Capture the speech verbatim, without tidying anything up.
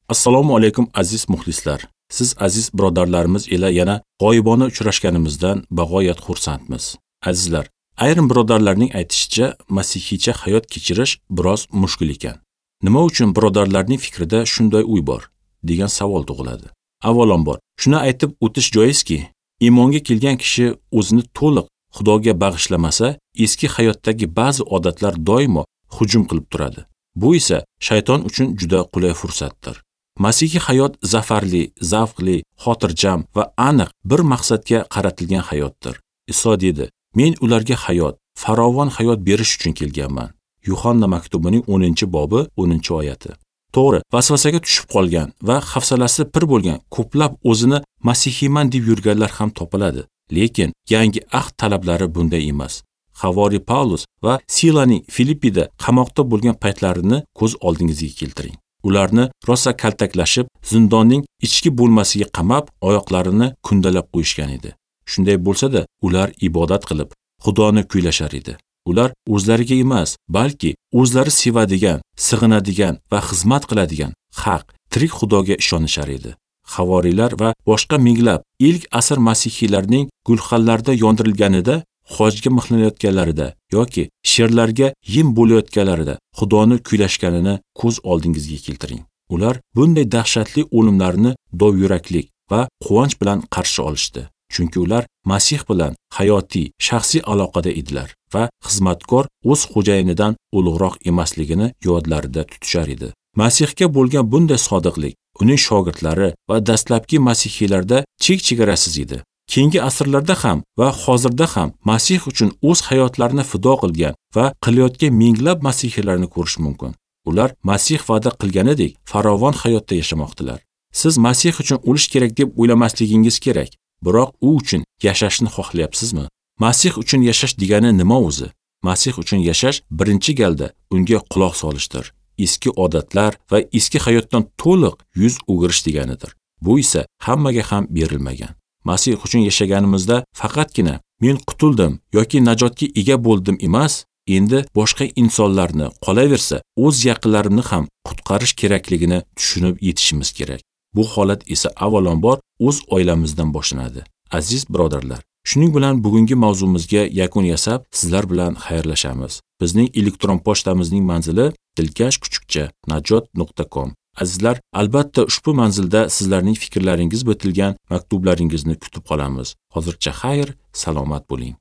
Assalomu alaykum aziz muxlislar. Siz aziz birodarlarimiz ila yana g'oyibona uchrashganimizdan bag'oyat xursandmiz. Azizlar, ayrim birodarlarning aytishicha, masihiycha hayot kechirish biroz mushkul ekan. Nima uchun birodarlarning fikrida shunday uy bor degan savol tug'iladi. Avvalambor, shuni aytib o'tish joizki, iymonga kelgan kishi o'zini to'liq Xudoga bag'ishlamasa, eski hayotdagi ba'zi odatlar doimo hujum qilib turadi. Bu esa shayton uchun juda qulay fursatdir. Masihiy hayot zafarli, zavqli, xotirjam va aniq bir maqsadga qaratilgan hayotdir. Iso dedi: "Men ularga hayot, farovon hayot berish uchun kelganman." Yuhanna maktubining o'ninchi bobi o'ninchi oyati. To'g'ri, vasvasaga tushib qolgan va hafsalasi pir bo'lgan ko'plab o'zini masihiyman deb yurganlar ham topiladi. Lekin yangi ahd talablari bunday emas. Havori Paulus va Silaning Filippida qamoqda bo'lgan paytlarini ko'z oldingizga keltiring. Ularni rosa kaltaklashib, zindonning ichki bo'lmasiga qamab, oyoqlarini kundalab qo'yishgan edi. Shunday bo'lsa-da, ular ibodat qilib, Xudoni kuylashar edi. Ular o'zlariga emas, balki o'zlari sevadigan, sig'inadigan va xizmat qiladigan haq, tirik Xudoga ishonishar edi. Havoriylar va boshqa minglab ilk asr masihiylarning gulxanlarda yondirilganida, hojga mixlanayotganlarida yoki sherlarga yem bo'layotganlarida Xudoni kuylashganini ko'z oldingizga keltiring. Ular bunday dahshatli o'limlarni dovyuraklik va quvonch bilan qarshi olishdi. Chunki ular Masih bilan hayotiy, shaxsiy aloqada edilar va xizmatkor o'z xo'jayinidan ulug'roq emasligini yodlarida tutishar edi. Masihga bo'lgan bunday sodiqlik uning shogirdlari va dastlabki masihiylarda chek-chegarasiz edi. Keyingi asrlarda ham va hozirda ham Masih uchun o'z hayotlarini fido qilgan va qilayotgan minglab masihiylarni ko'rish mumkin. Ular Masih va'da qilganidek farovon hayotda yashamoqdilar. Siz Masih uchun o'lish kerak deb o'ylamasligingiz kerak, biroq u uchun yashashni xohlayapsizmi? Masih uchun yashash degani nima o'zi? Masih uchun yashash birinchi galda unga quloq solishdir. Eski odatlar va eski hayotdan to'liq yuz o'girish deganidir. Bu esa hammaga ham berilmagan. Masih uchun yashaganimizda faqatgina men qutuldim yoki najotga ega bo'ldim emas, endi boshqa insonlarni, qolaversa o'z yaqinlarimni ham qutqarish kerakligini tushunib yetishimiz kerak. Bu holat esa avvalambor o'z oilamizdan boshlanadi. Aziz birodarlar, shuning bilan bugungi mavzumizga yakun yasab, sizlar bilan xayrlashamiz. Bizning elektron pochtamizning manzili dilkash kuchukcha najot nuqta com. Azizlar, albatta ushbu manzilda sizlarning fikrlaringiz bitilgan maktublaringizni kutib qolamiz. Hozircha xayr, salomat bo'ling.